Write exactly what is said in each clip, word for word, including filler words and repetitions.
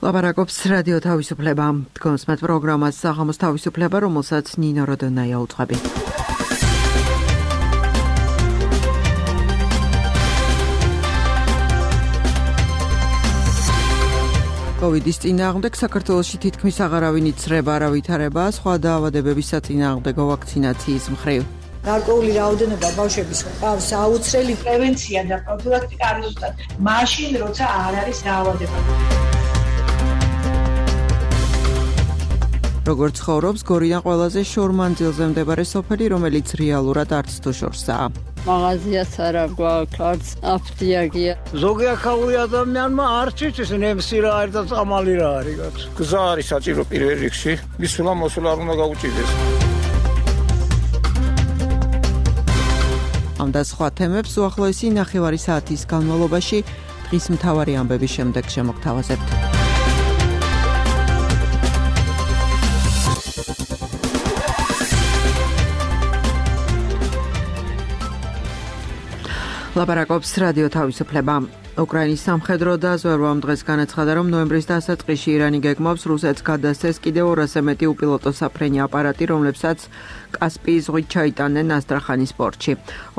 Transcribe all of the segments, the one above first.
ლაპარაკობს რადიო თავისუფლება. დგომს მათ პროგრამას საღამოს თავისუფლება, რომელსაც ნინო როდონაია უძღვები. კოვიდის წინააღმდეგ საქართველოში თითქმის აღარავინ იცრება, არა ვითარება სხვა დაავადებების საწინააღმდეგო ვაქცინაციის მხრივ. გარკვეული რაოდენობა ბავშვების ყავს აუცილებელი პრევენცია და პროფილაქტიკა არის ზუსტად მაშინ, როცა არ არის დაავადება. როგორც ცხოვრობს გორიდან ყველაზე შორმანძილზე მდებარე სოფელი, რომელიც რეალურად არც თუ შორსაა. მაღაზიაც არა გვაქვს, არც აფთიაგია. ზოგი აქაური ადამიანმა არც იცის ნემსი რა არის და წამალი რა არის გაქვს. გზა არის საჭირო პირველ რიგში, მისვლა მოსვლა არ უნდა გაუჭირდეს. ამ და სხვა თემებს უახლოესი ნახევარი საათის განმავლობაში დღის მთავარი ამბების შემდეგ შემოგთავაზებთ. ლაპარაკობს რადიო თავისუფლება. უკრაინის სამხედრო დაზვერვამ დღეს განაცხადა, რომ ნოემბრის დასაწყისში ირანი გეგმავს რუსეთს გადასცეს კიდევ ორასზე მეტი უპილოტო საფრენი აპარატი, რომლებსაც კასპიის ზღვით ჩაიტანენ ასტრახანის პორტში.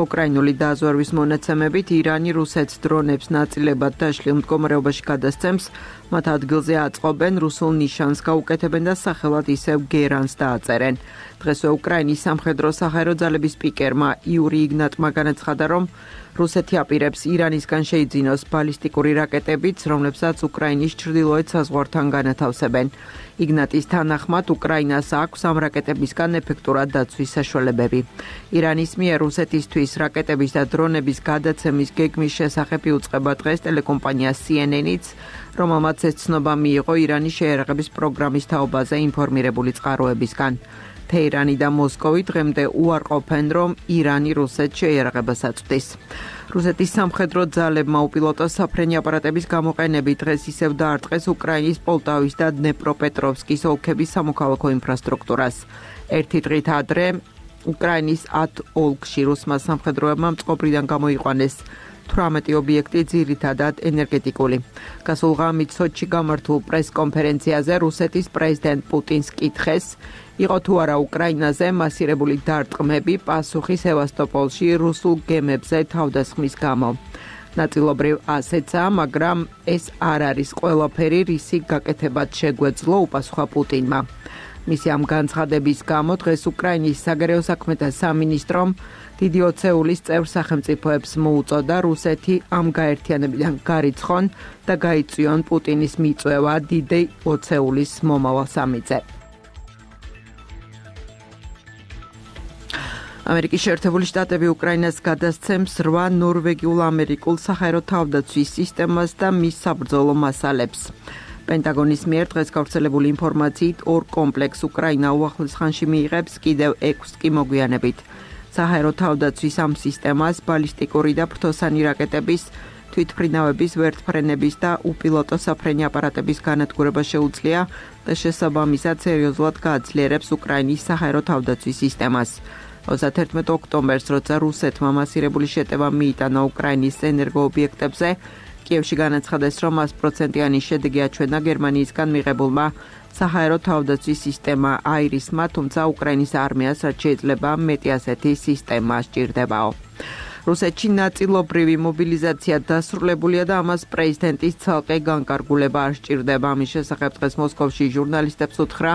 უკრაინული დაზვერვის მონაცემებით ირანი რუსეთს დრონებს ნაწილებად დაშლილ მდგომარეობაში გადასცემს, მათ ადგილზე აწყობენ, რუსულ ნიშანს გაუკეთებენ და სახელად ისევ გერანს დააწერენ. დღესვე უკრაინის სამხედრო საჰაერო ძალების სპიკერმა იური იგნატმა განაცხადა, რომ რუსეთი აპირებს ირანისგან შეიძინოს ბალისტიკური რაკეტებიც, რომლებსაც უკრაინის ჩრდილოეთ საზღვართან განათავსებენ. იგნატის თანახმად უკრაინას აქვს ამ რაკეტებისგან ეფექტურად დაცვის საშუალებები. ირანის მიერ რუსეთისთვის რაკეტების და დრონების გადაცემის გეგმის შესახებ იუწყება დღეს ტელეკომპანია სი ენ ენ-იც, რომელმაც ეს ცნობა მიიღო ირანის შეიარაღების პროგრამის თაობაზე ინფორმირებული წყაროებისგან. თეირანი და მოსკოვი დღემდე უარყოფენ, რომ ირანი რუსეთს შეიარაღებას აწვდის. რუსეთის სამხედრო ძალებმა უპილოტო საფრენი აპარატების გამოყენებით დღეს ისევ დაარტყეს უკრაინის პოლტავის და დნეპროპეტროვსკის ოლქების სამოქალაქო ინფრასტრუქტურას. ერთი დღით ადრე უკრაინის ათ ოლქში რუსმა სამხედროებმა მწყობრიდან გამოიყვანეს თვრამეტი ობიექტი, ძირითადად ენერგეტიკული. გასულ ღამით სოჩში გამართულ პრეს-კონფერენციაზე რუსეთის პრეზიდენტ პუტინს კითხეს, იყო თუ არა უკრაინაზე მასირებული დარტყმები პასუხი სევასტოპოლში რუსულ გემებზე თავდასხმის გამო. ნაწილობრივ ასეცა, მაგრამ ეს არ არის ყველაფერი, რისი გაკეთებად შეგვეძლო, უპასუხა პუტინმა. მისი ამ განცხადების გამო დღეს უკრაინის საგარეო საქმეთა სამინისტრომ დიდი ოცეულის წევრ სახელმწიფოებს მოუწოდა რუსეთი ამ გაერთიანებიდან გარიცხონ და გაიწვიონ პუტინის მიწვევა დიდი ოცეულის მომავალ სამიზე. ამერიკის შეერთებული შტატები უკრაინას გადასცემს რვა ნორვეგიულ-ამერიკულ საჰაერო თავდაცვის სისტემას და მის საბრძოლო მასალებს. პენტაგონის მიერ დღეს გავრცელებული ინფორმაციით ორ კომპლექს უკრაინა უახლოეს ხანში მიიღებს, კიდევ ექვსს კი მოგვიანებით. საჰაერო თავდაცვის ამ სისტემას ბალისტიკური და ფრთოსანი რაკეტების, თვითმფრინავების, ვერტმფრენების და უპილოტო საფრენი აპარატების განადგურება შეუძლია და შესაბამისად სერიოზულად გააძლიერებს უკრაინის საჰაერო თავდაცვის სისტემას. ოცდაათერთმეტ ოქტომბერს, როცა რუსეთმა მასირებული შეტევა მიიტანა უკრაინის ენერგოობიექტებზე, კიევში განაცხადეს, რომ ასპროცენტიანი შედეგი აჩვენა გერმანიისგან მიღებულმა საჰაერო თავდაცვის სისტემა აირისმა, თუმცა უკრაინის არმიას რაც შეიძლება მეტი ასეთი სისტემა სჭირდებაო. რუსეთში ნაწილობრივი მობილიზაცია დასრულებულია და ამას პრეზიდენტის ცალკე განკარგულება არ სჭირდება. ამის შესახებ დღეს მოსკოვში ჟურნალისტებს უთხრა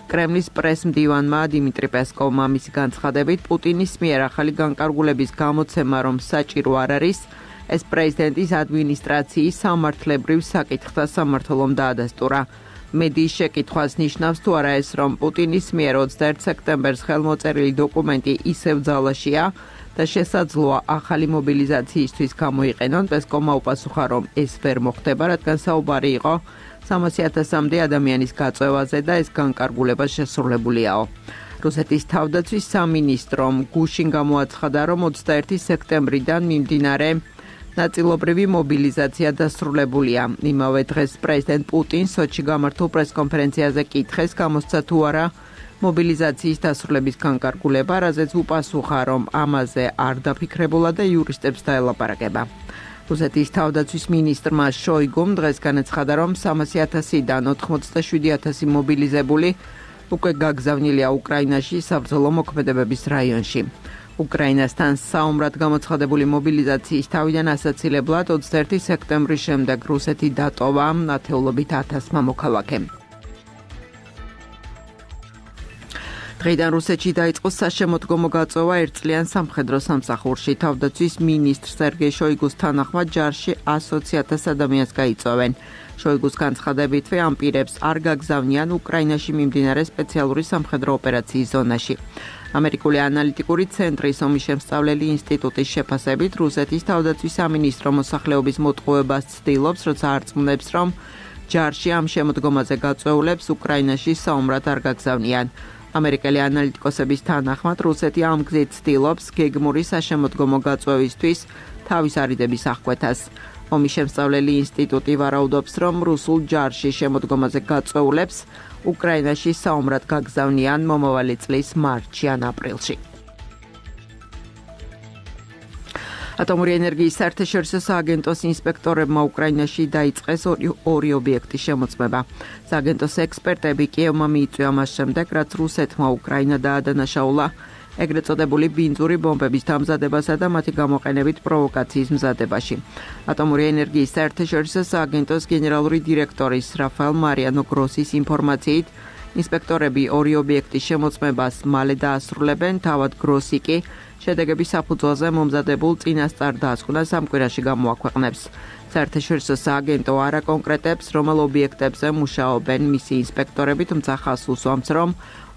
კრემლის პრეს-მდივანმა დიმიტრი პესკოვმა. მისი განცხადებით, პუტინის მიერ ახალი განკარგულების გამოცემა, რომ საჭირო არ არის, ეს პრეზიდენტის ადმინისტრაციის სამართლებრივ საკითხთა სამმართველომ დაადასტურა. მედიის შეკითხვას ნიშნავს თუ არა ეს, რომ პუტინის მიერ ოცდაერთ სექტემბერს ხელმოწერილი დოკუმენტი ისევ ძალაშია და შესაძლოა ახალი მობილიზაციისთვის გამოიყენონ. პესკოვმა უპასუხა, რომ ეს ვერ მოხდება, რადგან საუბარი იყო სამასი ათასამდე ადამიანის გაწევაზე და ეს განკარგულება შესრულებულიაო. რუსეთის თავდაცვის სამინისტრომ გუშინ გამოაცხადა, რომ ოცდაერთი სექტემბრიდან მიმდინარე ნაწილობრივი მობილიზაცია დასრულებულია. იმავე დღეს პრეზიდენტ პუტინს სოჩში გამართულ პრესკონფერენციაზე კითხეს, გამოსცა თუ არა მობილიზაციის დასრულების განკარგულება, რაზეც უპასუხა, რომ ამაზე არ დაფიქრებულა და იურისტებს დაელაპარაკება. რუსეთის თავდაცვის მინისტრმა შოიგუმ დღეს განაცხადა, რომ სამასი ათასიდან ოთხმოცდაშვიდი ათასი მობილიზებული უკვე გაგზავნილია უკრაინაში საბრძოლო მოქმედებების რაიონში. უკრაინასთან საომრად გამოცხადებული მობილიზაციის თავიდან ასაცილებლად ოცდაერთი სექტემბრის შემდეგ რუსეთი დატოვა ათეულობით ათასმა მოქალაქემ. დღეიდან რუსეთში დაიწყო საშემოდგომო გაწევა ერთწლიან სამხედრო სამსახურში. თავდაცვის მინისტრ სერგეი შოიგუს თანახმად ჯარში ასოცი ათას ადამიანს გაიწვევენ. შოიგუს განცხადებითვე ამ პირებს არ გაგზავნიან უკრაინაში მიმდინარე სპეციალური სამხედრო ოპერაციის ზონაში. ამერიკული ანალიტიკური ცენტრის ომის შემსწავლელი ინსტიტუტის შეფასებით რუსეთის თავდაცვის სამინისტრო მოსახლეობის მოტყუებას ცდილობს, როცა არწმუნებს, რომ ჯარში ამ შემოდგომაზე გაწეულებს უკრაინაში საომრად არ გაგზავნიან. ამერიკელი ანალიტიკოსების თანახმად რუსეთი ამ გზით ცდილობს გეგმური საშემოდგომო გაწევისთვის თავის არიდების აღკვეთას. ომის შემსწავლელი ინსტიტუტი ვარაუდობს, რომ რუსულ ჯარში შემოდგომაზე გაწეულებს უკრაინაში საომრად გაგზავნიან მომავალი წლის მარტში ან აპრილში. ატომური ენერგიის საერთაშორისო სააგენტოს ინსპექტორებმა უკრაინაში დაიწყეს ორი, ორი ობიექტის შემოწმება. სააგენტოს ექსპერტები კიევმა მიიწვია მას შემდეგ, რაც რუსეთმა უკრაინა დაადანაშაულა ეგრეთ წოდებული ბინძური ბომბების დამზადებასა და მათი გამოყენებით პროვოკაციის მზადებაში. ატომური ენერგიის საერთაშორისო სააგენტოს გენერალური დირექტორის რაფაელ მარიანო გროსის ინფორმაციით, ინსპექტორები ორი ობიექტის შემოწმებას მალე დაასრულებენ, თავად გროსი კი შედეგების საფუძველზე მომზადებულ წინასწარ დასკვნას ამ კვირაში გამოაქვეყნებს. საერთაშორისო სააგენტო არ აკონკრეტებს, რომელ ობიექტებზე მუშაობენ მისი ინსპექტორები, თუმცა ხაზს უსვამს, რომ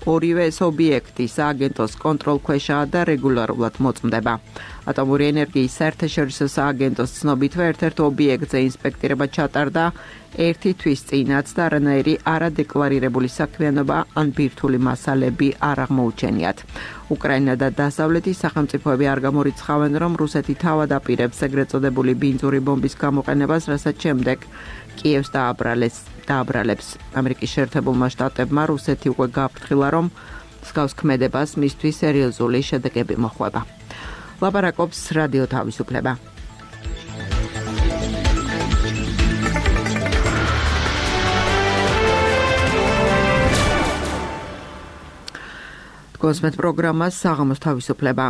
ორივე ეს ობიექტი სააგენტოს კონტროლქვეშაა და რეგულარულად მოწმდება. ატომური ენერგიის საერთაშორისო სააგენტოს ცნობითვე ერთ-ერთ ობიექტზე ინსპექტირება ჩატარდა ერთი თვის წინაც და არანაირი არადეკლარირებული საქმიანობა ან ბირთვული მასალები არ აღმოუჩენიათ. უკრაინა და დასავლეთის სახელმწიფოები არ გამორიცხავენ, რომ რუსეთი თავად აპირებს ეგრეთ წოდებული ბინძური ბომბის გამოყენებას, რასაც შემდეგ კიევს დააბრალეს. დააბრალებს. ამერიკის შეერთებულმა შტატებმა რუსეთი უკვე გააფრთხილა, რომ მსგავს ქმედებას მისთვის სერიოზული შედეგები მოჰყვება. ლაპარაკობს რადიო თავისუფლება. კონსმეთ პროგრამას საღამოს თავისუფლება.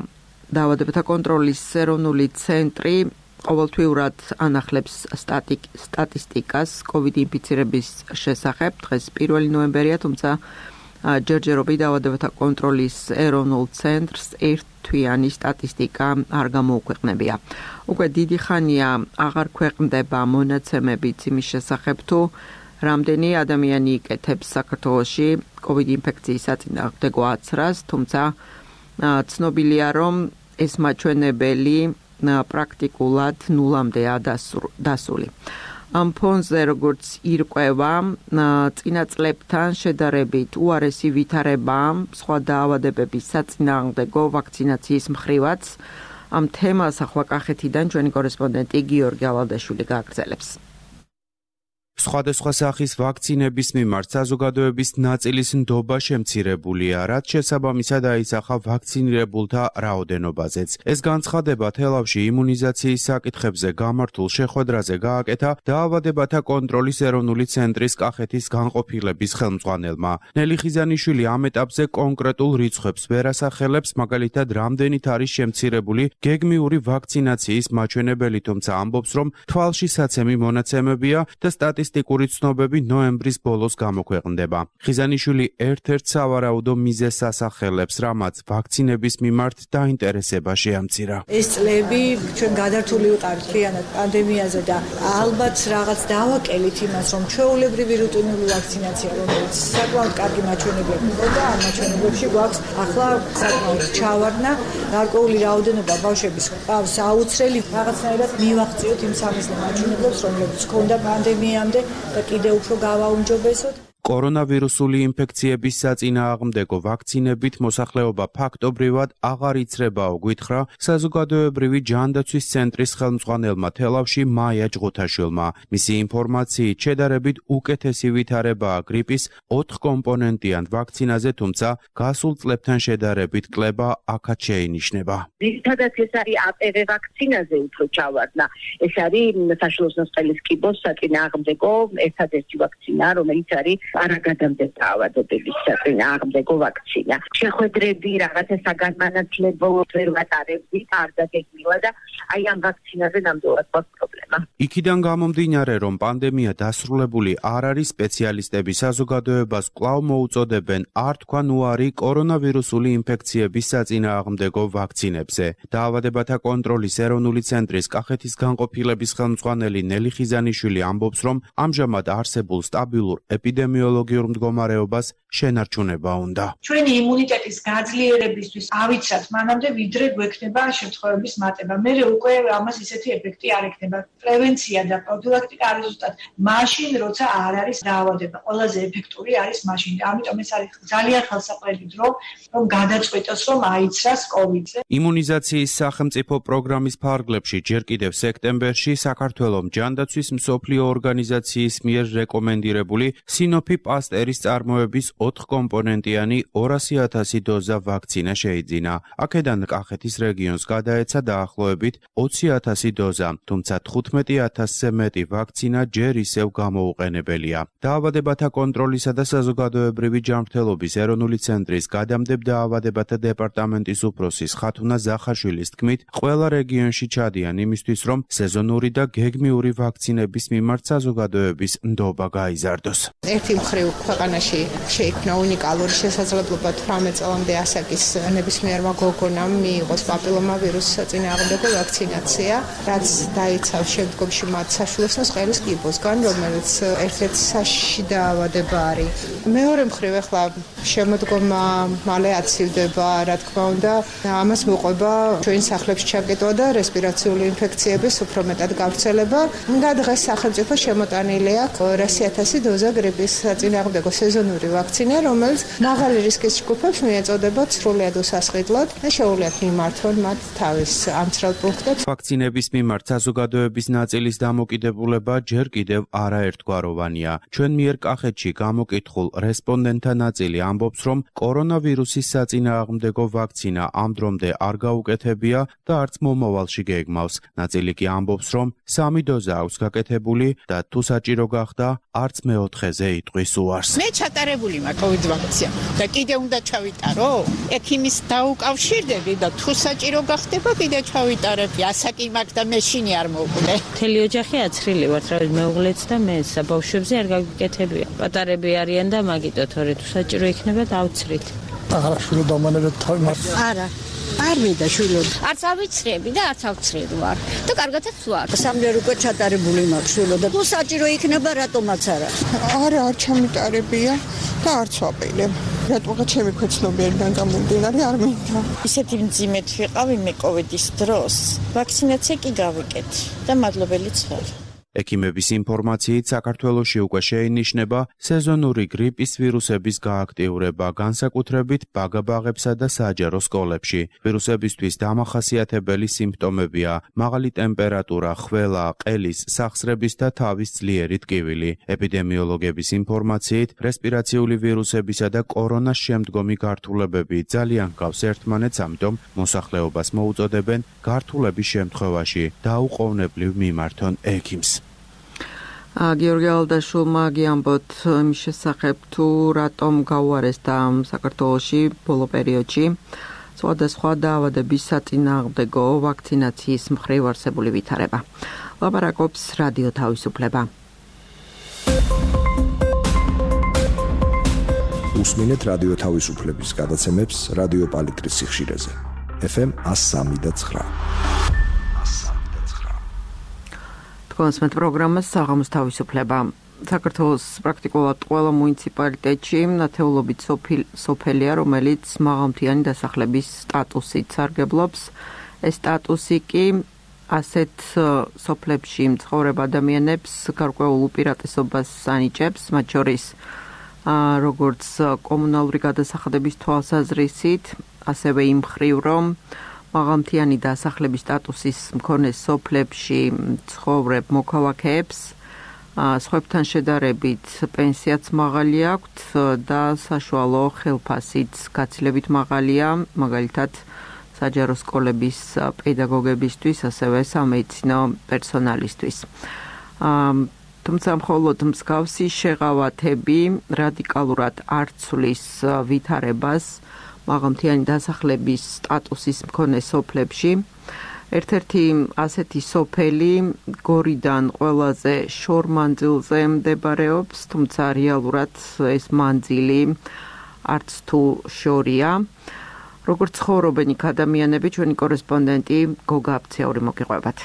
დაავადებათა კონტროლის ეროვნული ცენტრი ყოველთვიურად ანახლებს სტატისტიკას COVID ინფიცირების შესახებ. დღეს პირველი ნოემბერია, თუმცა ჯერჯერობით დაავადებათა კონტროლის ეროვნულ ცენტრს ერთთვიანი სტატისტიკა არ გამოუქვეყნებია. უკვე დიდი ხანია აღარ ქვეყნდება მონაცემებიც იმის შესახებ, თუ რამდენი ადამიანი იკეთებს საქართველოში COVID ინფექციის საწინააღმდეგო აცრას, თუმცა ცნობილია, რომ ეს მაჩვენებელი პრაქტიკულად ნულამდეა დასული. ამ ფონზე, როგორც ირკვევა, წინა წლებთან შედარებით უარესი ვითარება სხვა დაავადებების საწინააღმდეგო ვაქცინაციის მხრივაც. ამ თემას ახლა კახეთიდან ჩვენი კორესპონდენტი გიორგი ალადაშვილი გააგრძელებს. სხვადასხვა სახის ვაქცინების მიმართ საზოგადოების ნაწილის ნდობა შემცირებულია, რაც შესაბამისად აისახა ვაქცინირებულთა რაოდენობაზეც. ეს განცხადება თელავში იმუნიზაციის საკითხებზე გამართულ შეხვედრაზე გააკეთა დაავადებათა კონტროლის ეროვნული ცენტრის კახეთის განყოფილების ხელმძღვანელმა. ნელი ხიზანიშვილი ამ ეტაპზე კონკრეტულ რიცხვებს ვერ ასახელებს, მაგალითად, რამდენით არის შემცირებული გეგმიური ვაქცინაციის მაჩვენებელი, თუმცა ამბობს, რომ თვალში საცემი მონაცემებია და სტატისტიკა სტატისტიკური ცნობები ნოემბრის ბოლოს გამოქვეყნდება. ხიზანიშვილი ერთ-ერთ სავარაუდო მიზეზს ასახელებს, რამაც ვაქცინების მიმართ დაინტერესება შეამცირა. ეს წლები ჩვენ გადართული ვიყავით მთლიანად პანდემიაზე და ალბათ რაღაც დავაკელით იმას, რომ ჩვეულებრივი რუტინული ვაქცინაცია, რომელიც საკმაოდ კარგი მაჩვენებლები მქონდა, ამ მაჩვენებლებში გვაქვს ახლა საკმაოდ ჩავარდნა, გარკვეული რაოდენობა ბავშვების ყავს აუცრელი რაღაცნაირად მივახციოთ იმ სამიზნე მაჩვენებლებს, რომლებიც ჰქონდა პანდემიამდე და კიდევ უფრო გავაუმჯობესოთ. კორონავირუსული ინფექციების საწინააღმდეგო ვაქცინებით მოსახლეობა ფაქტობრივად აღარ იცრებაო, გვითხრა საზოგადოებრივი ჯანდაცვის ცენტრის ხელმძღვანელმა თელავში მაია ჭღუთაშვილმა. მისი ინფორმაციით შედარებით უკეთესი ვითარებაა გრიპის ოთხკომპონენტიან ვაქცინაზე, თუმცა გასულ წლებთან შედარებით კლება აქაც შეინიშნება. ძირითადად ეს არის ა პე ვე ვაქცინაზე უფრო ჩავარდნა. ეს არის საშუალო სწყლის კიბოს საწინააღმდეგო ერთადერთი ვაქცინა, რომელიც არის არაგადამდებ დაავადების საწინააღმდეგო ვაქცინა. შეხვედრები რაღაცა საგანმანათლებლო ვერ ვატარებდი, არ დაგეგმილა და აი ამ ვაქცინაზე ნამდვილად გვაქვს პრობლემა. იქიდან გამომდინარე, რომ პანდემია დასრულებული არ არის, სპეციალისტები საზოგადოებას კვლავ მოუწოდებენ არ თქვან უარი კორონავირუსული ინფექციების საწინააღმდეგო ვაქცინებზე. დაავადებათა კონტროლის ეროვნული ცენტრის კახეთის განყოფილების ხელმძღვანელი ნელი ხიზანიშვილი ამბობს, რომ ამჟამად არსებულ სტაბილურ ეპიდემიოლოგიურ მდგომარეობას შენარჩუნება უნდა. ჩვენი იმუნიტეტის გაძლიერებისთვის ავიცათ მანამდე, ვიდრე გვექნება შემთხვევების მატება. მე უკვე ამას ისეთი ეფექტი არ ექნება. პრევენცია და პროფილაქტიკა არის ზუსტად მაშინ, როცა არ არის დაავადება. ყველაზე ეფექტური არის მაშინ. ამიტომ ეს არის ძალიან ხელსაყრელი დრო, რომ გადაწყვეტოს, რომ აიცრას კოვიდზე. იმუნიზაციის სახელმწიფო პროგრამის ფარგლებში ჯერ კიდევ სექტემბერში საქართველოს ჯანდაცვის მსოფლიო ორგანიზაციის მიერ რეკომენდირებული სინოფი პასტერის წარმოების ოთხკომპონენტიანი ორასი ათასი დოზა ვაქცინა შეიძინა. აქედან კახეთის რეგიონს გადაეცა დაახლოებით ოცი ათასი დოზა, თუმცა თხუთმეტი ათასზე მეტი ვაქცინა ჯერ ისევ გამოუყენებელია. დაავადებათა კონტროლისა და საზოგადოებრივი ჯანმრთელობის ეროვნული ცენტრის გადამდებ დაავადებათა დეპარტამენტის უფროსის ხათუნა ზახაშვილის თქმით, ყველა რეგიონში ჩადიან იმისთვის, რომ სეზონური და გეგმიური ვაქცინების მიმართ საზოგადოების ნდობა გაიზარდოს. ერთი მხრივ ქვეყანაში შეიქმნა უნიკალური შესაძლებლობა თვრამეტ წლამდე ასაკის ნებისმიერმა გოგონამ მიიღოს პაპილომავირუსის საწინააღმდეგო ვაქცინაცია, რაც დაიცავს შემდგომში მათ საშვილოსნოს ყელის კიბოსგან, რომელიც ერთ-ერთი საშიში დაავადება არის. მეორე მხრივ ახლა შემოდგომა მალე აცივდება, რა თქმა უნდა, ამას მოყვება ჩვენ სახლებში ჩაკეტვა და რესპირაციული ინფექციების უფრო მეტად გავრცელება. და დღეს სახელმწიფო შემოტანილი აქვს ორასი ათასი დოზა გრიპის საწინააღმდეგო სეზონური ვაქცინა, რომელიც მაღალი რისკის ჯგუფებს მიეწოდებათ სრულიად უსასყიდლად და შეუძლიათ მიმართონ მათ თავის ამცრელ პუნქტებს. ვაქცინების მიმართ საზოგადოების ნაწილის დამოკიდებულება ჯერ კიდევ არაერთგვაროვანია. ჩვენ მიერ კახეთში გამოკითხულ რესპონდენტთა ნაწილი ამბობს, რომ კორონავირუსის საწინააღმდეგო ვაქცინა ამ დრომდე არ გაუკეთებია და არც მომავალში გეგმავს. ნაწილი კი ამბობს, რომ სამი დოზა აქვს გაკეთებული და თუ საჭირო გახდა, არც მეოთხეზე იტყვის უარს. მე ჩატარებული მაქვს კოვიდ ვაქცია და კიდე უნდა ჩავიტარო? ექიმის დაუკავშირდები და თუ საჭირო გახდება, კიდე ჩავიტარებ. ასაკი მაქვს და მეშინი არ მოვკვდე. მთელი ოჯახი აცრილი ვართ, რა მეუღლეც და მე საბავშვებზე არ გაგიკეთებია. პატარები არიან და მაგიტო თორე თუ საჭირო იქნება დავცრით. არა, შვილო დამანებეთ თავი მას. არა. არ მინდა შვილო. არც ავიცრები და არც ავცრილი ვარ. და კარგადაც ვარ. სამჯერ უკვე ჩატარებული მაქვს შვილო და თუ საჭირო იქნება, რატომაც არა. არა, არ ჩამიტარებია და არც ვაპირებ. რატომღაც ჩემი ქვეცნობიერიდან გამომდინარე არ მინდა. ისეთი მძიმედ ვიყავი მე კოვიდის დროს. ვაქცინაცია კი გავიკეთე და მადლობელიც ვარ. ექიმების ინფორმაციით საქართველოში უკვე შეინიშნება სეზონური გრიპის ვირუსების გააქტიურება, განსაკუთრებით ბაგაბაღებსა და საჯარო სკოლებში. ვირუსებისთვის დამახასიათებელი სიმპტომებია მაღალი ტემპერატურა, ხველა, ყელის, სახსრების და თავის ძლიერი ტკივილი. ეპიდემიოლოგების ინფორმაციით რესპირაციული ვირუსებისა და კორონას შემდგომი გართულებები ძალიან გავს ერთმანეთს, ამიტომ მოსახლეობას მოუწოდებენ გართულების შემთხვევაში დაუყოვნებლივ მიმართონ ექიმს. გიორგი ალდაშვილმა გიამბოთ იმის შესახებ, თუ რატომ გაუარეს და საქართველოში ბოლო პერიოდში სხვადასხვა დაავადების საწინააღმდეგო ვაქცინაციის მხრივ არსებული ვითარება. ლაპარაკობს რადიო თავისუფლება. უსმინეთ რადიო თავისუფლების გადაცემებს რადიო პალიტრის სიხშირეზე. ეფ ემ ას სამი და ცხრა. კონსმეთ პროგრამას საღამოს თავისუფლება. საქართველოს პრაქტიკულად ყველა მუნიციპალიტეტში ნათეულობით სოფელია, რომელიც მაღალმთიანი დასახლების სტატუსით სარგებლობს. ეს სტატუსი კი ასეთ სოფლებში მცხოვრებ ადამიანებს გარკვეულ უპირატესობას ანიჭებს, მათ შორის როგორც კომუნალური გადასახადების თვალსაზრისით, ასევე იმ მხრივ, რომ მაღალმთიანი დასახლების სტატუსის მქონე სოფლებში ცხოვრებ მოქალაქეებს სხვებთან შედარებით პენსიაც მაღალი აქვთ და საშუალო ხელფასიც გაცილებით მაღალია, მაგალითად საჯარო სკოლების პედაგოგებისთვის, ასევე სამედიცინო პერსონალისთვის. თუმცა მხოლოდ მსგავსი შეღავათები რადიკალურად არ ცვლის ვითარებას მაღალმთიანი დასახლების სტატუსის მქონე სოფლებში. ერთ-ერთი ასეთი სოფელი გორიდან ყველაზე შორ მანძილზე მდებარეობს, თუმცა რეალურად ეს მანძილი არც თუ შორია. როგორც ცხოვრობენ იქ ადამიანები, ჩვენი კორესპონდენტი გოგა აფციური მოგიყვებათ.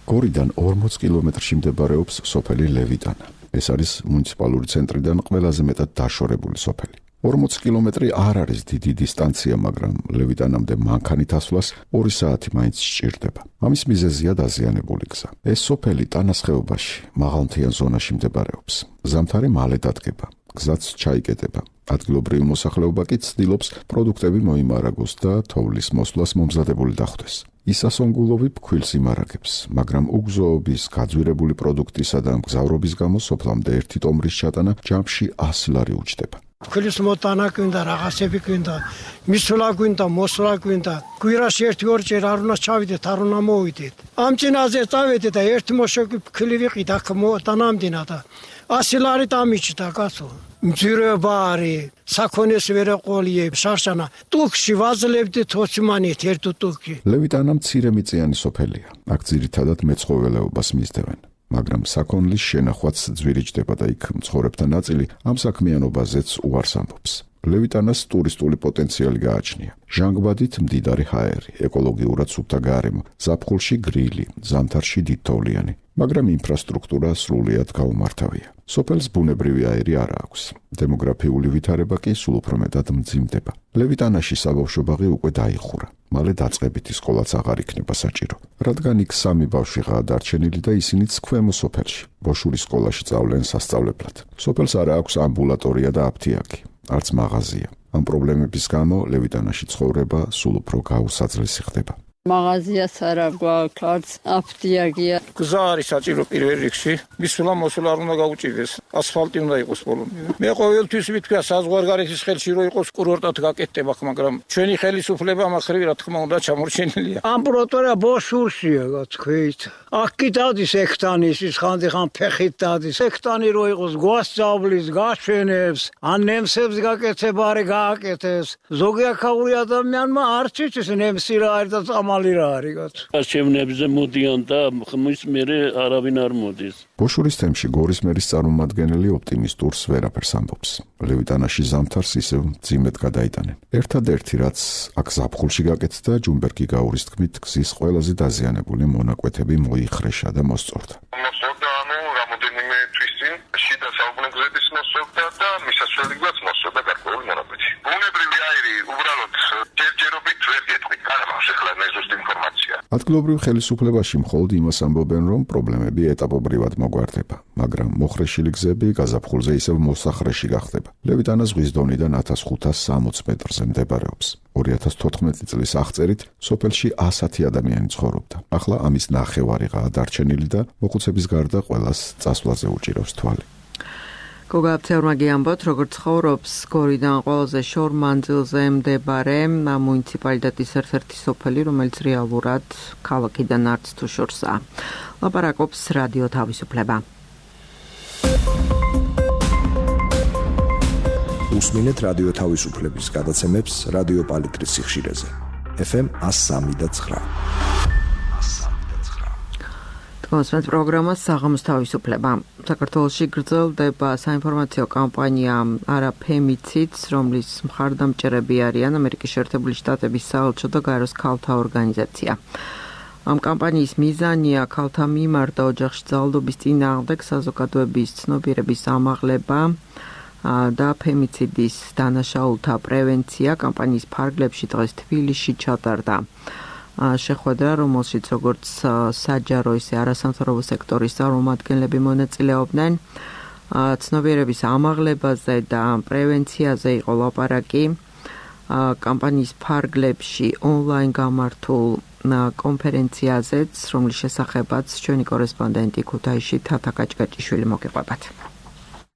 გორიდან ორმოც კილომეტრში მდებარეობს სოფელი ლევიტანა. ეს არის მუნიციპალური ცენტრიდან ყველაზე მეტად დაშორებული სოფელი. ორმოც კილომეტრი არ არის დიდი დისტანცია, მაგრამ ლევიტანამდე მანქანით ასვლას ორი საათი მაინც სჭირდება. ამის მიზეზია დაზიანებული გზა. ეს სოფელი ტანას ხეობაში, მაღალმთიან ზონაში მდებარეობს. ზამთარი მალე დადგება, გზაც ჩაიკეტება. ადგილობრივი მოსახლეობა კი ცდილობს პროდუქტები მოიმარაგოს და თოვლის მოსვლას მომზადებული დახვდეს. ისასონგულოვი ფქვილს იმარაგებს, მაგრამ უგზოობის, გაძვირებული პროდუქტისა და მგზავრობის გამო სოფლამდე ერთი ტომრის ჩატანა ჯამში ასი ლარი უჯდება. ფქვილის მოტანა გვინდა, რაღაცები გვინდა, მისვლა გვინდა, მოსვლა გვინდა. კვირაში ერთი-ორჯერ არ უნდა ჩავიდეთ, არ უნდა მოვიდეთ. ამ წინაზე წავედით და ერთი მოშოგი ფქვილი ვიყიდ, აქ მოტანამდინა და ასი ლარი დამიჭდა კაცო. მძირება არის, საქონეს ვერ ეყოლიებ, შარშანა. ტუქში ვაძლევდით ოცმანით ერთ ტუქი. ლევიტანა მცირე მიწიანი სოფელია. აქ ძირითადად მეცხოველეობას მისდევენ. მაგრამ საქონლის შენახვაც ძვირიჭდება და იქ მცხოვრებთა ნაწილი ამ საქმიანობაზეც უარს ამბობს. ლევიტანას ტურისტული პოტენციალი გააჩნია. ჟანგბადით მდიდარი ჰაერი, ეკოლოგიურად სუფთა გარემო, ზაფხულში გრილი, ზამთარში დიდთოვლიანი, მაგრამ ინფრასტრუქტურა სრულიად გაუმართავია. სოფელს ბუნებრივი აირი არ აქვს. დემოგრაფიული ვითარება კი სულ უფრო მეტად მძიმდება. ლევიტანაში საბავშვო ბაღი უკვე დაიხურა. მალე დაწყებითი სკოლაც აღარ იქნება საჭირო, რადგან იქ სამი ბავშვიღაა დარჩენილი და ისინიც ქვემო სოფელში, ბოშურის სკოლაში სწავლენ სასწავლებლად. სოფელს არ აქვს ამბულატორია და აფთიაქი, არც მაღაზია. ამ პრობლემების გამო ლევიტანაში ცხოვრება სულ უფრო გაუსაძლესი ხდება. მაღაზიას არ აქვს, არც აფთიაქია. გზა არის საჭირო პირველ რიგში. მისვლა მოსვლა არ უნდა გაუჭირდეს. ასფალტი უნდა იყოს ბოლომდე. მე ყოველთვის ვიტყვია საზღვარგარეთის ხელში რო იყოს კურორტად გაკეთდება, მაგრამ ჩვენი ხელისუფლება მახრივ რა თქმა უნდა ჩამორჩენილია. ამბროტორა ბოშურშია გათქვით. აქ კი დადის ექტანის ის ხანდახან ფეხით დადის. ექტანი რო იყოს გვასწავლის, გაშვენებს, ან ნემსებს გაკეთება არ გააკეთებს. ზოგი აქაური ადამიანმა არ ციცის ნემსი რა არის და წამალი რა არის გაც. აშევნებზე მოდიან და ხმის მერე არავინ არ მოდის. ბოშურის თემში გორის მერის წარმომადგენელი ოპტიმისტურს ვერაფერს ამბობს. ლევიტანაში ზამთარს ისევ მძიმედ გადაიტანენ. ერთადერთი რაც აქ ზაფხულში გაკეთდა, ჯუმბერგი გაურის თქმით, გზის ყველაზე დაზიანებული მონაკვეთები მოიხრეშა და მოსწორდა. მოსწორდა ანუ რამოდენიმე თვის წინ შიდა საუკუნეების მოსწორდა და მისასვლელიც მოსწორდა გარკვეული მონაკვეთი. ბუნებრივი აირი უბრალოდ ჯერჯერობით ვერ გეტყვით, არა ახლა მე ზუსტ ინფორმაცია. ადგილობრივ ხელისუფლებაში მხოლოდ იმას ამბობენ, რომ პრობლემები ეტაპობრივად მოგვარდება, მაგრამ მოხრეშილი გზები გაზაფხულზე ისევ მოსახრეში გახდება. ლევიტანა ზღვის დონიდან ათას ხუთას სამოცი მეტრზე მდებარეობს. ორი ათას თოთხმეტი წლის აღწერით სოფელში ასი ადამიანი ცხოვრობდა. ახლა ამის ნახევარიღაა დარჩენილი და მოხუცების გარდა ყველას წასვლაზე უჭირავს თვალი. გოგა აფცეურმა გიამბოთ, როგორც ცხოვრობს გორიდან ყველაზე შორ მანძილზე მდებარე მუნიციპალიტეტის ერთ-ერთი სოფელი, რომელიც რეალურად ქალაქიდან არც თუ შორსაა. ლაპარაკობს რადიო თავისუფლება. უსმინეთ რადიო თავისუფლების გადაცემებს რადიო პალიტრის სიხშირეზე. ეფ ემ one oh three point nine. კონსპект პროგრამას საღამოს თავისუფლება. საქართველოში გრძელდება საინფორმაციო კამპანია არაფემიციდს, რომლის მხარდამჭერები არიან ამერიკის შეერთებული შტატების საელჩო და გაეროს ქალთა ორგანიზაცია. ამ კამპანიის მიზანია ქალთა მიმართ და ოჯახში ძალადობის წინააღმდეგ საზოგადოების ცნობიერების ამაღლება და ფემიციდის დანაშაულთა პრევენცია. კამპანიის ფარგლებში დღეს თბილისში ჩატარდა შეხვედრა, რომელშიც როგორც საჯარო, ისე არასამთავრობო სექტორის წარმომადგენლები მონაწილეობდნენ. ცნობიერების ამაღლებაზე და პრევენციაზე იყო ლაპარაკი კამპანიის ფარგლებში ონლაინ გამართულ კონფერენციაზეც, რომლის შესახებაც ჩვენი კორესპონდენტი ქუთაისში თათა კაჭკაჭიშვილი მოგიყვებათ.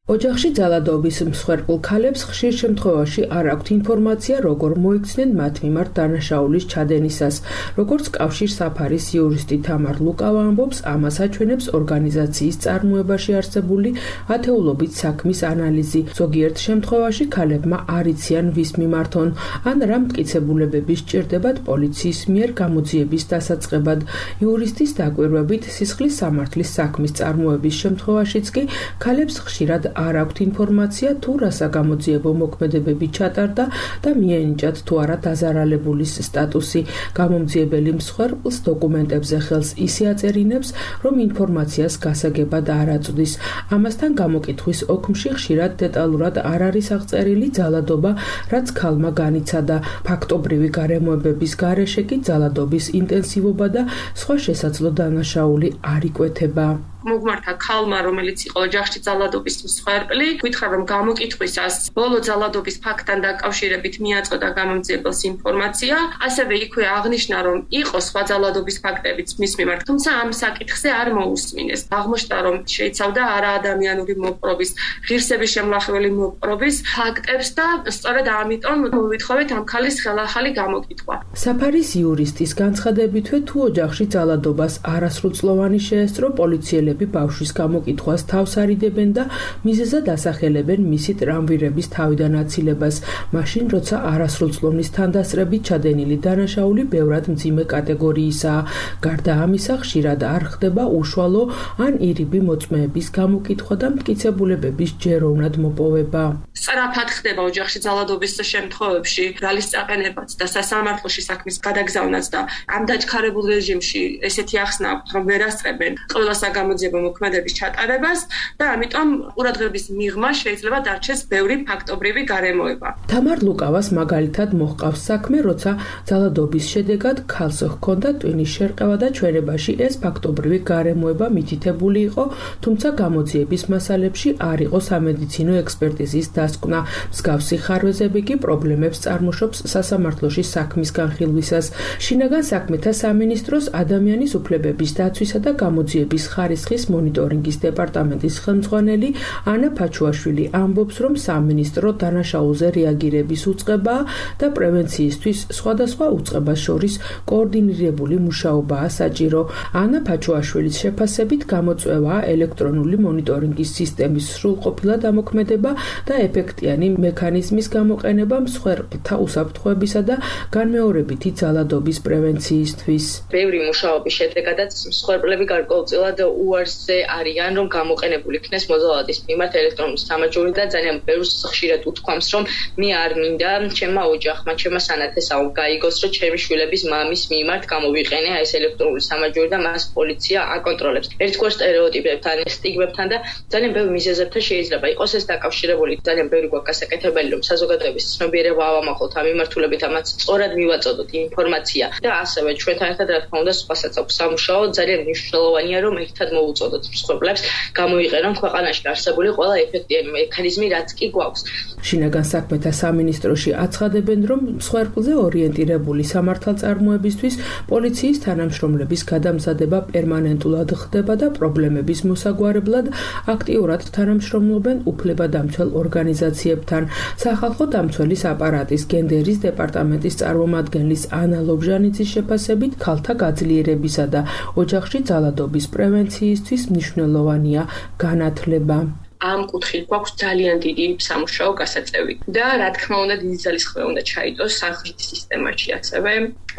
ოჯახში ძალადობის მსხვერპლ ქალებს ხშირ შემთხვევაში არ აქვთ ინფორმაცია, როგორ მოიქცნენ მათ მიმართ დანაშაულის ჩადენისას. როგორც კავშირ საფარის იურისტი თამარ ლუკავა ამბობს, ამას აჩვენებს ორგანიზაციის წარმოებაში არსებული ათეულობით საქმის ანალიზი. ზოგიერთ შემთხვევაში ქალებმა არ იციან ვის მიმართონ, ან რა მტკიცებულებები სჭირდებათ პოლიციის მიერ გამოძიების დასაწყებად. იურისტის დაკვირვებით, სისხლის სამართლის საქმის წარმოების შემთხვევაშიც კი ქალებს ხშირად არ აქვთ ინფორმაცია თუ რა საგამოძიებო მოქმედებები ჩატარდა და მიენიჭათ თუ არა დაზარალებულის სტატუსი. გამომძიებელი მსხვერპლს დოკუმენტებზე ხელს ისე აწერინებს, რომ ინფორმაციას გასაგებად არ აწვდის. ამასთან გამოკითხვის ოქმში ხშირად დეტალურად არ არის აღწერილი ძალადობა, რაც ქალმა განიცადა. ფაქტობრივი გარემოებების გარეშე კი ძალადობის ინტენსივობა და სხვა შესაძლო დანაშაული არ იკვეთება. მოგმართა ქალმა, რომელიც იყო ოჯახში ძალადობის მსხვერპლი, გითხრა რომ გამოკითხვისას ბოლო ძალადობის ფაქტთან დაკავშირებით მიაწოდა გამომძიებელს ინფორმაცია, ასევე იქვე აღნიშნა, რომ იყო სხვა ძალადობის ფაქტებიც მის მიმართ, თუმცა ამ საკითხზე არ მოусმინეს. აღმოჩნდა, რომ შეიცავდა არაადამიანური მოპყრობის, ღირსების შემლახველი მოპყრობის ფაქტებს და სწორედ ამიტომ მოვითხოვეთ ამ ქალის ხელახალი გამოკითხვა. საფარის იურისტის განცხადებითვე, თუ ოჯახში ძალადობას არასრულწლოვანი შეესწრო, პოლიციელები ბავშვის გამოკითხვას თავს არიდებენ და მიზეზად ასახელებენ მისი ტრამვირების თავიდან აცილებას. მაშინ, როცა არასრულწლოვნის თანდასწრებით ჩადენილი დანაშაული ბევრად მძიმე კატეგორიისაა. გარდა ამისა, ხშირად არ ხდება უშუალო ან ირიბი მოწმეების გამოკითხვა და მტკიცებულებების ჯეროვნად მოპოვება. სწრაფად ხდება ოჯახში ძალადობის შემთხვევებში ბრალის წაყენებაც და სასამართლოში საქმის გადაგზავნაც და ამ დაჩქარებულ რეჟიმში ესეთი ახსნა აქვთ, რომ ვერ ასწრებენ ყველა საგამოძიებო მოქმედების ჩატარებას და ამიტომ ყურადღების მიღმა შეიძლება დარჩეს ბევრი ფაქტობრივი გარემოება. თამარ ლუკავას მაგალითად მოჰყავს საქმე, როცა ძალადობის შედეგად ქალს ჰქონდა ტვინის შერყევა და ჩვენებაში ეს ფაქტობრივი გარემოება მითითებული იყო, თუმცა გამოძიების მასალებში არ იყო სამედიცინო ექსპერტიზის დასკვნა. მსგავსი ხარვეზები კი პრობლემებს წარმოშობს სასამართლოში საქმის განხილვისას. შინაგან საქმეთა სამინისტროს ადამიანის უფლებების დაცვისა და გამოძიების ხარისხის მონიტორინგის დეპარტამენტის ხელმძღვანელი ანა ფაჩუაშვილი ამბობს, რომ სამინისტრო დანაშაულზე რეაგირების უწყებაა და პრევენციისთვის სხვადასხვა უწყებას შორის კოორდინირებული მუშაობაა საჭირო. ანა ფაჩუაშვილის შეფასებით გამოწვევაა ელექტრონული მონიტორინგის სისტემის სრულყოფილა დამოქმედება და ეფექტიანი მექანიზმის გამოყენება მსხვერპლთა უსაფრთხოებისა და განმეორებითი ძალადობის პრევენციისთვის. ბევრი მუშაობის შედეგადაც მსხვერპლები გარკვეულწილად უარსზე არიან, რომ გამოყენებული იქნეს მოძალადის მიმართ ელექტრონული სამაჯური და ძალიან ბევრს ხშირად უთქვამს, რომ მე არ მინდა ჩემმა ოჯახმა, ჩემმა სანათესავ გაიგოს, რომ ჩემი შვილების მამის მიმართ გამოვიყენე ეს ელექტრონული სამაჯური და მას პოლიცია აკონტროლებს. ერთგვარ სტერეოტიპებთან, სტიგმებთან და ძალიან ბევრ მიზეზებთან შეიძლება იყოს ეს დაკავშირებული. ძალიან ბევრი გვაქვს გასაკეთებელი, რომ საზოგადოების ცნობიერება ავამახოთ ამ მიმართულებით, ამაც სწორად მივაწოდოთ ინფორმაცია და ასევე ჩვენთან ერთად რა თქმა უნდა სხვასაც აქვს სამუშაო. ძალიან მნიშვნელოვანია, რომ ერთად მოუწოდოთ მსხვერპლებს, გამოიყენონ ქვეყანაში არსებული ყველა ეფექტიანი მექანიზმი, რაც კი გვაქვს. შინაგან საქმეთა სამინისტროში აცხადებენ, რომ მსხვერპლზე ორიენტირებული სამართალწარმოებისთვის პოლიციის თანამშრომლების გადამზადება პერმანენტულად ხდება და პრობლემების მოსაგვარებლად აქტიურად თანამშრომლობენ უფლებადამცველ ორგანიზაციებთან. სახალხო დამცველის აპარატის გენდერის დეპარტამენტის წარმომადგენლის ანა ლობჟანიძის შეფასებით, ქალთა გაძლიერებისა და ოჯახში ძალადობის პრევენციისთვის მნიშვნელოვანია განათლება. ამ კუთხით გვაქვს ძალიან დიდი სამუშაო გასაწევი და რა თქმა უნდა დიდი ძალისხმევა უნდა ჩაიდოს სამხრეთის სისტემაში ასევე,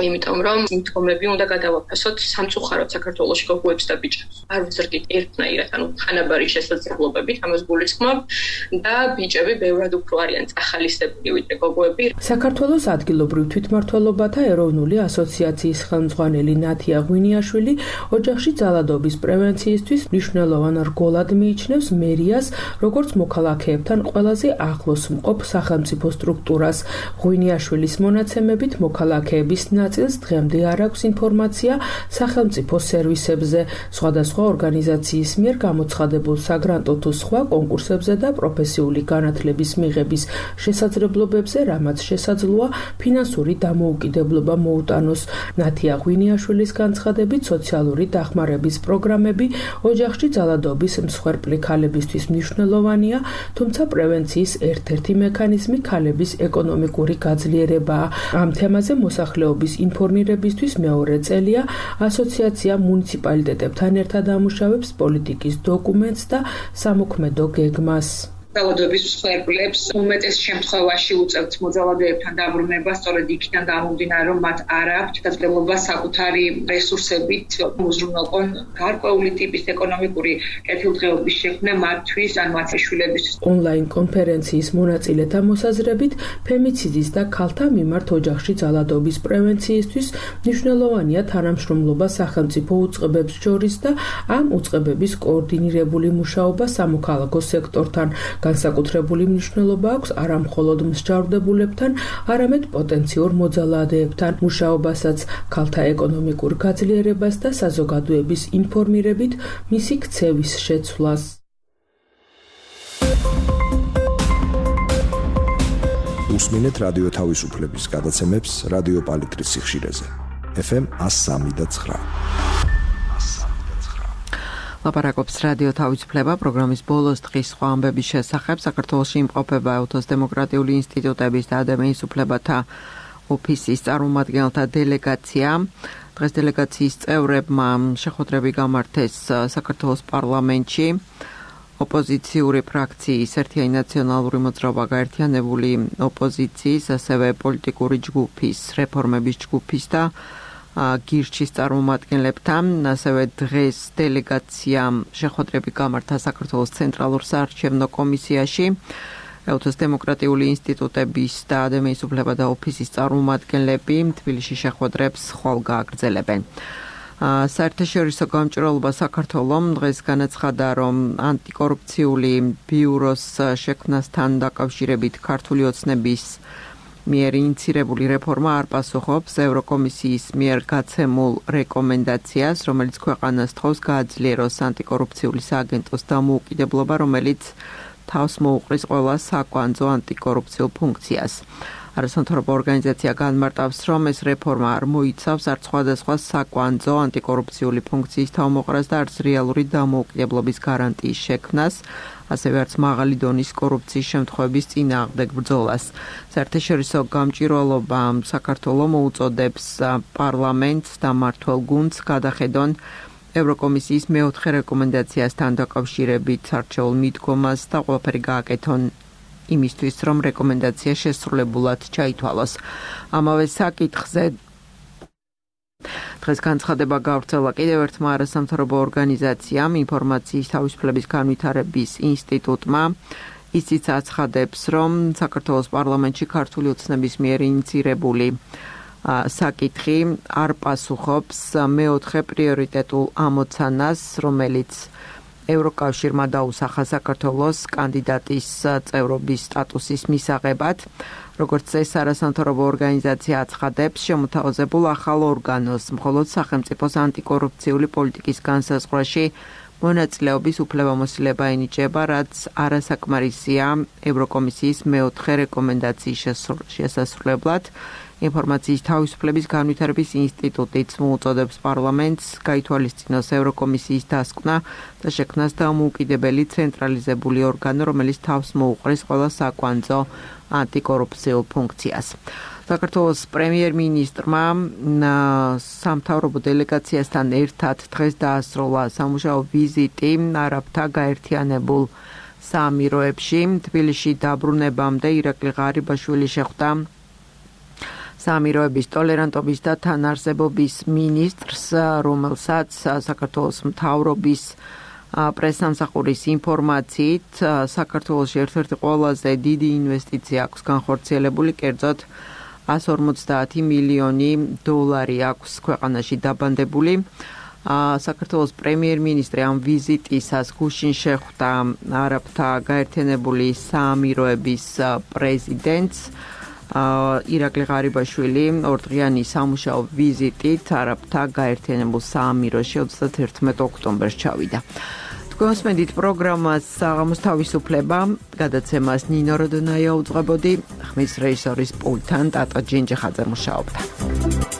იმიტომ რომ მითომები უნდა გადავაფასოთ სამწუხაროდ საქართველოში გოგოებს და ბიჭებს. არ ვზრდით ერთნაირად, ანუ თანაბარი შესაძლებლობებით, ამას გულისხმობ და ბიჭები ბევრად უფრო არიან წახალისებული ვიდრე გოგოები. საქართველოს ადგილობრივ თვითმმართველობათა ეროვნული ასოციაციის ხელმძღვანელი ნათია ღვინიაშვილი ოჯახში ძალადობის პრევენციისთვის მნიშვნელოვან რგოლად მიიჩნევს მერიას როგორც მოქალაქეებთან ყველაზე ახლოს მყოფ სახელმწიფო სტრუქტურას. ღვინიაშვილის მონაცემებით მოქალაქეების ნაწილს დღემდე არ აქვს ინფორმაცია სახელმწიფო სერვისებზე, სხვადასხვა ორგანიზაციის მიერ გამოცხადებულ საგრანტო თუ სხვა კონკურსებზე და პროფესიული განათლების მიღების შესაძლებლობებზე, რამაც შესაძლოა ფინანსური დამოუკიდებლობა მოუტანოს. ნათია ღვინიაშვილის განცხადებით, სოციალური დახმარების პროგრამები ოჯახში ძალადობის მსხვერპლი ქალებისთვის მნიშვნელოვანია, თუმცა პრევენციის ერთ-ერთი მექანიზმი ქალების ეკონომიკური გაძლიერებაა. ამ თემაზე მოსახლეობის ინფორმირებისთვის მეორე წელია ასოციაცია მუნიციპალიტეტებთან ერთად ამუშავებს პოლიტიკის დოკუმენტს და სამოქმედო გეგმას. ძალადობის მსხვერპლებს უმეტეს შემთხვევაში უწევთ მოძალადეებთან დაბრუნება, სწორედ იქიდან გამომდინარე, რომ მათ არ აქვთ შესაძლებლობა საკუთარი რესურსებით უზრუნველყონ გარკვეული ტიპის ეკონომიკური კეთილდღეობის შექმნა მათთვის ან მათი შვილებისთვის. ონლაინ კონფერენციის მონაწილეთა მოსაზრებით, ფემიციდის და ქალთა მიმართ ოჯახში ძალადობის პრევენციისთვის მნიშვნელოვანია თანამშრომლობა სახელმწიფო უწყებებს შორის და ამ უწყებების კოორდინირებული მუშაობა სამოქალაქო სექტორთან. განსაკუთრებული მნიშვნელობა აქვს არა მხოლოდ მსჯავრდებულებთან, არამედ პოტენციურ მოძალადეებთან მუშაობასაც, ქალთა ეკონომიკურ გაძლიერებას და საზოგადოების ინფორმირებით მისი ქცევის შეცვლას. უსმინეთ რადიო თავისუფლების გადაცემებს რადიო პალიტრის სიხშირეზე. ეფ ემ one oh three point nine. ლაპარაკობს რადიო თავისუფლება პროგრამის ბოლოს დღის სხვა ამბების შესახებ. საქართველოში იმყოფება ეუთოს დემოკრატიული ინსტიტუტების და ადამიანის უფლებათა ოფისის წარმომადგენელთა დელეგაცია. დღეს დელეგაციის წევრებმა შეხვედრები გამართეს საქართველოს პარლამენტში. ოპოზიციური ფრაქციის ერთიანი ნაციონალური მოძრაობა, გაერთიანებული ოპოზიციის, ასევე პოლიტიკური ჯგუფის, რეფორმების ჯგუფის და გირჩის წარმომადგენლებთან, ასევე დღეს დელეგაციამ შეხვედრები გამართა საქართველოს ცენტრალურ საარჩევნო კომისიაში. ეუთოს დემოკრატიული ინსტიტუტების და ადამიანის უფლებათა ოფისის წარმომადგენლები თბილისში შეხვედრებს ხვალ გააგრძელებენ. საერთაშორისო გამჭვირვალობა საქართველომ დღეს განაცხადა, რომ ანტიკორუფციული ბიუროს შექმნასთან დაკავშირებით ქართული ოცნების მიერ ინიცირებული რეფორმა არ პასუხობს ევროკომისიის მიერ გაცემულ რეკომენდაციას, რომელიც ქვეყანას თხოვს გააძლიეროს ანტიკორუფციული სააგენტოს დამოუკიდებლობა, რომელიც თავს მოუყრის ყველა საკვანძო ანტიკორუფციულ ფუნქციას. არასამთავრობო ორგანიზაცია განმარტავს, რომ ეს რეფორმა არ მოიცავს არც სხვადასხვა საკვანძო ანტიკორუფციული ფუნქციის თავმოყრას და არც რეალური დამოუკიდებლობის გარანტიის შექმნას, ასევე არც მაღალი დონის კორუფციის შემთხვევების წინააღმდეგ ბრძოლას. საერთაშორისო გამჭვირვალობა საქართველოს მოუწოდებს პარლამენტს და მმართველ გუნდს გადახედონ ევროკომისიის მეოთხე რეკომენდაციასთან დაკავშირებით არჩეულ მიდგომას და ყველაფერი გააკეთონ იმისთვის, რომ რეკომენდაცია შესრულებულად ჩაითვალოს. ამავე საკითხზე დღეს განცხადება გავრცელა კიდევ ერთმა არასამთავრობო ორგანიზაციამ, ინფორმაციის თავისუფლების განვითარების ინსტიტუტმა. ისიც აცხადებს, რომ საქართველოს პარლამენტში ქართული ოცნების მიერ ინიცირებული საკითხი არ პასუხობს მეოთხე პრიორიტეტულ ამოცანას, რომელიც ევროკავშირმა დაუსახა საქართველოს კანდიდატის წევრობის სტატუსის მისაღებად. როგორც ეს არასამთავრობო ორგანიზაცია აცხადებს, შემოთავაზებულ ახალ ორგანოს მხოლოდ სახელმწიფოს ანტიკორუფციული პოლიტიკის განსაზღვრაში მონაწილეობის უფლებამოსილება ენიჭება, რაც არასაკმარისია ევროკომისიის მეოთხე რეკომენდაციის შესასრულებლად. ინფორმაციის თავისუფლების განვითარების ინსტიტუტიც მოუწოდებს პარლამენტს გაითვალისწინოს ევროკომისიის დასკვნა და შექმნას დამოუკიდებელი ცენტრალიზებული ორგანო, რომელიც თავს მოუყრის ყველა საკვანძო ანტიკორუფციულ ფუნქციას. საქართველოს პრემიერ-მინისტრმა სამთავრობო დელეგაციასთან ერთად დღეს დაასრულა სამუშაო ვიზიტი არაბთა გაერთიანებულ საამიროებში. თბილისში დაბრუნებამდე ირაკლი ღარიბაშვილი შეხვდა საამიროების ტოლერანტობის და თანარსებობის მინისტრს, რომელსაც საქართველოს მთავრობის პრესსამსახურის ინფორმაციით საქართველოში ერთ-ერთი ყველაზე დიდი ინვესტიცია აქვს განხორციელებული, კერძოდ one hundred forty მილიონი დოლარი აქვს ქვეყანაში დაბანდებული. საქართველოს პრემიერ-მინისტრი ამ ვიზიტისას გუშინ შეხვდა არაბთა გაერთიანებული საამიროების პრეზიდენტს ირაკლი ღარიბაშვილი ორდღიანი სამუშაო ვიზიტით არაბთა გაერთიანებულ საამიროში ოცდაათი ოქტომბერს ჩავიდა. Გოსმენდით პროგრამას საღამოს თავისუფლება გადაცემას ნინო როდონაია უძღვებოდი, ხმის რეჟისორის პულტთან ტატო ჯინჯიხაძე მუშაობდა.